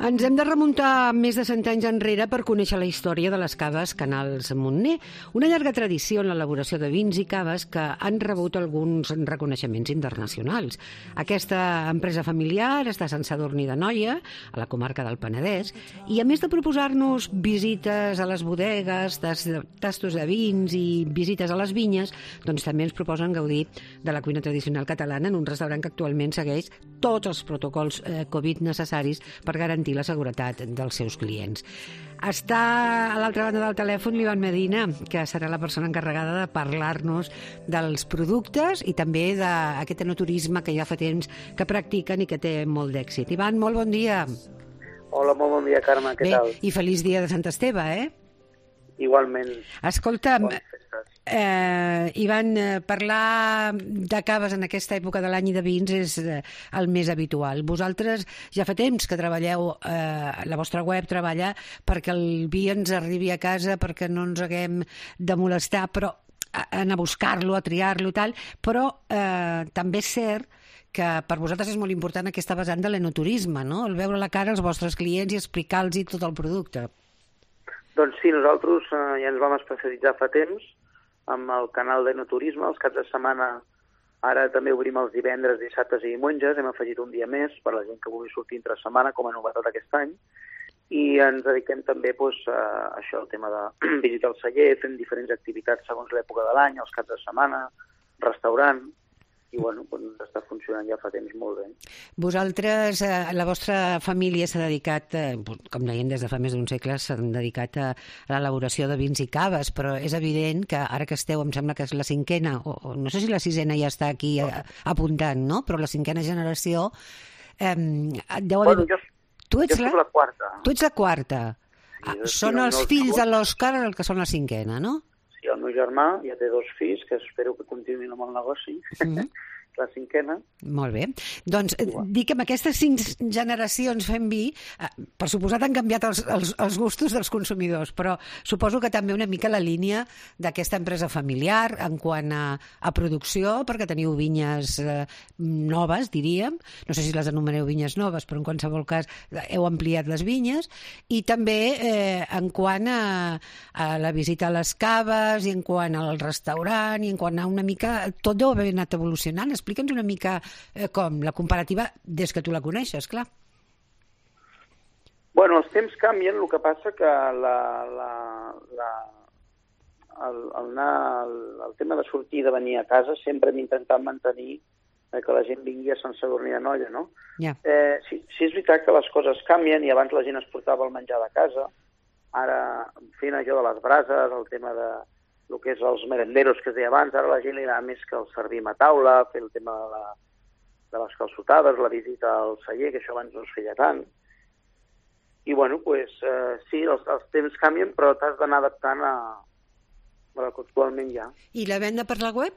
Ens hem de remuntar més de 100 anys enrere per conèixer la història de les caves Canals Montner, una llarga tradició en l'elaboració de vins i caves que han rebut alguns reconeixements internacionals. Aquesta empresa familiar està a Sant Sadurní d'Anoia, a la comarca del Penedès, i a més de proposar-nos visites a les bodegues, tastos de vins i visites a les vinyes, doncs també ens proposen gaudir de la cuina tradicional catalana en un restaurant que actualment segueix tots els protocols Covid necessaris per garantir la seguretat dels seus clients. Està a l'altra banda del telèfon l'Ivan Medina, que serà la persona encarregada de parlar-nos dels productes i també d'aquest enoturisme que ja fa temps que practiquen i que té molt d'èxit. Ivan, molt bon dia. Hola, molt bon dia, Carme, què tal? I feliç dia de Sant Esteve, Igualment. Escolta, Ivan, parlar de caves en aquesta època de l'any i de vins és el més habitual. Vosaltres ja fa temps que treballeu, la vostra web treballa perquè el vi ens arribi a casa, perquè no ens haguem de molestar, però anar a buscar-lo, a triar-lo i tal, però també és cert que per vosaltres és molt important aquesta vessant de l'enoturisme, no? El veure a la cara als vostres clients i explicar-los tot el producte. Doncs sí, nosaltres ja ens vam especialitzar fa temps amb el canal d'enoturisme. Els caps de setmana ara també obrim els divendres, dissabtes i diumenges. Hem afegit un dia més per a la gent que vulgui sortir entre setmana com a novetat aquest any. I ens dediquem també a això, el tema de visitar el celler, fent diferents activitats segons l'època de l'any, els caps de setmana, restaurant. I bueno, doncs està funcionant ja fa temps molt bé. Vosaltres, la vostra família s'ha dedicat, com dèiem des de fa més d'un segle, s'han dedicat a l'elaboració de vins i caves, però és evident que ara que esteu, em sembla que és la cinquena, o no sé si la sisena ja està aquí apuntant, no? Però la cinquena generació deu haver... Bueno, jo soc la quarta. Tu ets la quarta. Són els fills de l'Òscar el que són la cinquena, no? Sí, el meu germà ja té 2 fills, que espero que continuïn amb el negoci, la cinquena. Molt bé. Doncs dic que amb aquestes 5 generacions fent vi, per suposat han canviat els gustos dels consumidors, però suposo que també una mica la línia d'aquesta empresa familiar en quant a producció, perquè teniu vinyes noves, diríem. No sé si les anomeneu vinyes noves, però en qualsevol cas heu ampliat les vinyes, i també en quant a la visita a les caves, i en quant al restaurant, i en quant a una mica... Tot deu haver anat evolucionant. Explica'ns una mica com la comparativa des que tu la coneixes, clar. Bueno, els temps canvien, el que passa que el tema de sortir i de venir a casa sempre hem intentat mantenir que la gent vingui a Sant Sadurní d'Anoia, no? Yeah. Sí, és veritat que les coses canvien i abans la gent es portava el menjar de casa, ara fent allò de les brases, el tema de el que és els merenderos que es deia abans, ara la gent li agrada més que el servim a taula, fer el tema de les calçotades, la visita al celler, que això abans no es feia tant. I bueno, doncs sí, els temps canvien, però t'has d'anar adaptant a la que actualment hi ha. I la venda per la web?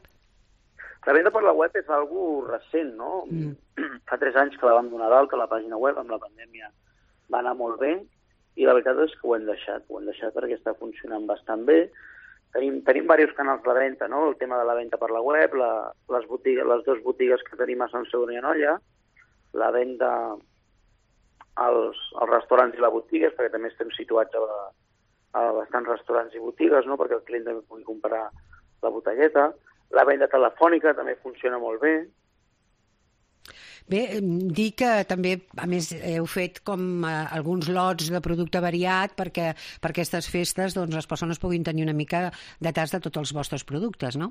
La venda per la web és algo recent, no? Fa 3 anys que la vam donar d'alta, la pàgina web, amb la pandèmia va anar molt bé, i la veritat és que ho hem deixat perquè està funcionant bastant bé. Tenim diversos canals de venda, no? El tema de la venda per la web, les 2 botigues que tenim a Sant Sadurní d'Anoia, la venda als restaurants i les botigues, perquè també estem situats a bastants restaurants i botigues, no? Perquè el client també pugui comprar la botelleta. La venda telefònica també funciona molt bé. Bé, dir que també, a més, heu fet com alguns lots de producte variat perquè per aquestes festes doncs, les persones puguin tenir una mica de tast de tots els vostres productes, no?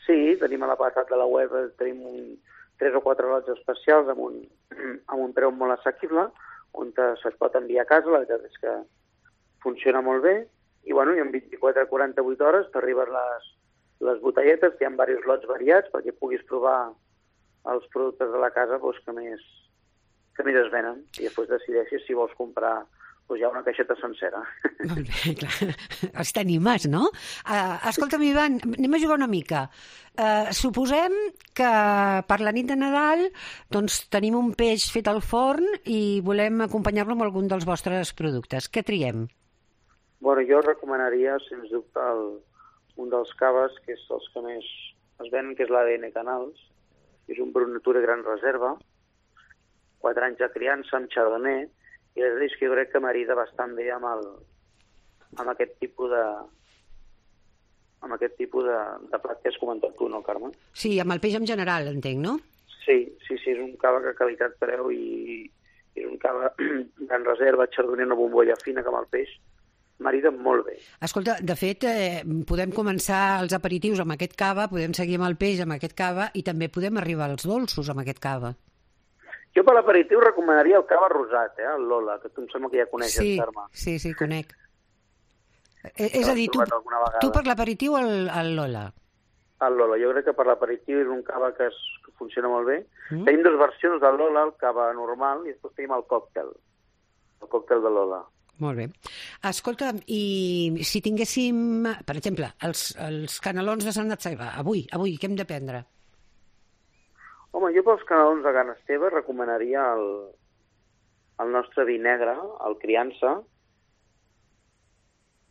Sí, tenim a l'apartat de la web, tenim 3 o 4 lots especials amb un preu molt assequible, on se'ls pot enviar a casa. La veritat és que funciona molt bé, i bueno, i en 24 a 48 hores t'arriben les botelletes, hi ha diversos lots variats perquè puguis provar els productes de la casa que més es venen, i després decideixis si vols comprar ja una caixeta sencera. Molt bé, clar. Els t'animes, no? Escolta'm, Ivan, anem a jugar una mica. Suposem que per la nit de Nadal doncs, tenim un peix fet al forn i volem acompanyar-lo amb algun dels vostres productes. Què triem? Bueno, jo recomanaria, sens dubte, un dels caves, que és els que més es venen, que és l'ADN Canals. És un Brut Natura Gran Reserva, 4 anys de criança amb Chardonnay, I la veritat és que jo crec que marida bastant bé amb aquest tipus de plat que has comentat tu, no, Carme? Sí, amb el peix en general, entenc, no? Sí, és un cava que qualitat-preu i és un cava gran reserva, chardonnay, una bombolla fina com el peix, marida molt bé. Escolta, de fet, podem començar els aperitius amb aquest cava, podem seguir amb el peix amb aquest cava i també podem arribar als dolços amb aquest cava. Jo per l'aperitiu recomanaria el cava rosat, el Lola, que tu em sembla que ja coneixes, Carme. Sí, conec. És a dir, tu per l'aperitiu el Lola. El Lola, jo crec que per l'aperitiu és un cava que funciona molt bé. Tenim dues versions del Lola, el cava normal, i després tenim el còctel de Lola. Molt bé. Escolta, i si tinguéssim, per exemple, els canelons de Sant Esteve, avui, què hem de prendre? Home, jo pels canelons de Can Esteve recomanaria el nostre vi negre, el Criança,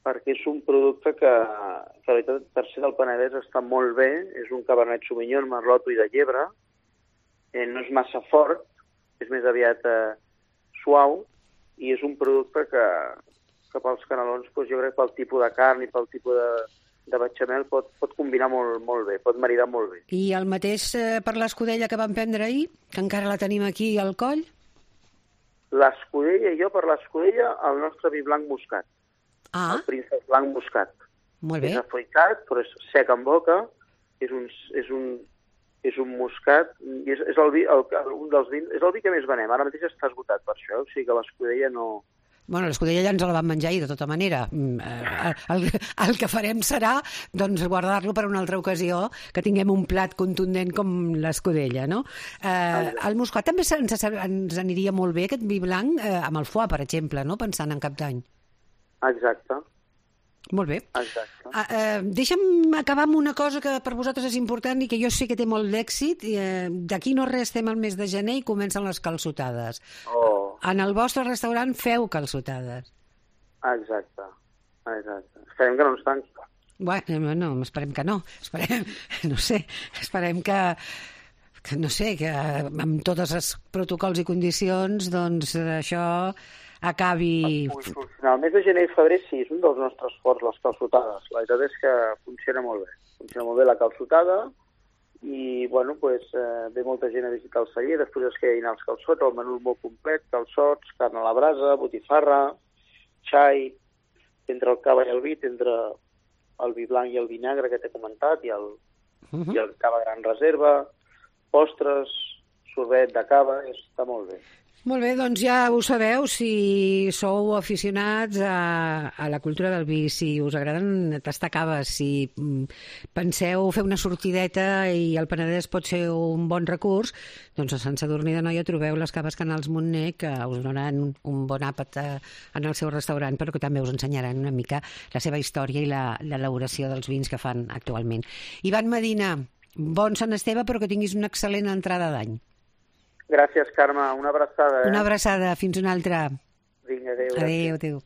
perquè és un producte que la veritat, per ser del Penedès està molt bé. És un Cabernet Sauvignon, Merlot i de llebre. No és massa fort, és més aviat suau, i és un producte que pels canelons, doncs jo crec que pel tipus de carn i pel tipus de bechamel pot combinar molt bé, pot maridar molt bé. I el mateix per l'escudella que vam prendre ahir, que encara la tenim aquí al coll? L'escudella, per l'escudella, el nostre vi blanc moscat. El príncep blanc moscat. Molt bé. És afruitat, però és sec en boca, és un moscat, i és el vi, un dels vins, és el vi que més venem. Ara mateix està esgotat per això, o sigui que l'escudella no... Bueno, l'escudella ja ens la vam menjar i de tota manera. El que farem serà doncs, guardar-lo per una altra ocasió, que tinguem un plat contundent com l'escudella, no? El moscat també ens aniria molt bé, aquest vi blanc, amb el foie, per exemple, no? Pensant en Cap d'Any. Exacte. Molt bé. Exacte. Deixa'm acabar amb una cosa que per vosaltres és important i que jo sé que té molt d'èxit. D'aquí no res, estem al mes de gener i comencen les calçotades. En el vostre restaurant feu calçotades. Exacte. Esperem que no ens tanqui. Bueno, no, esperem que no. Esperem que amb tots els protocols i condicions, doncs això acabi... El mes de gener i febrer sí, és un dels nostres forts, les calçotades. La veritat és que funciona molt bé. Funciona molt bé la calçotada i, bueno, ve molta gent a visitar el celler, després es queda dinar els calçots, el menú molt complet, calçots, carn a la brasa, botifarra, xai, entre el cava i el vi, entre el vi blanc i el vi negre que t'he comentat, i el cava gran reserva, postres, sorbet de cava, està molt bé. Molt bé, doncs ja ho sabeu, si sou aficionats a la cultura del vi, si us agraden tastar caves, si penseu fer una sortideta i el Penedès pot ser un bon recurs, doncs a Sant Sadurní d'Anoia trobeu les caves Canals Montner, que us donaran un bon àpat en el seu restaurant, però que també us ensenyaran una mica la seva història i l'elaboració dels vins que fan actualment. Ivan Medina, bon Sant Esteve, però que tinguis una excel·lent entrada d'any. Gràcies, Carme. Una abraçada. Una abraçada. Fins una altra. Vinga, adéu. Adéu.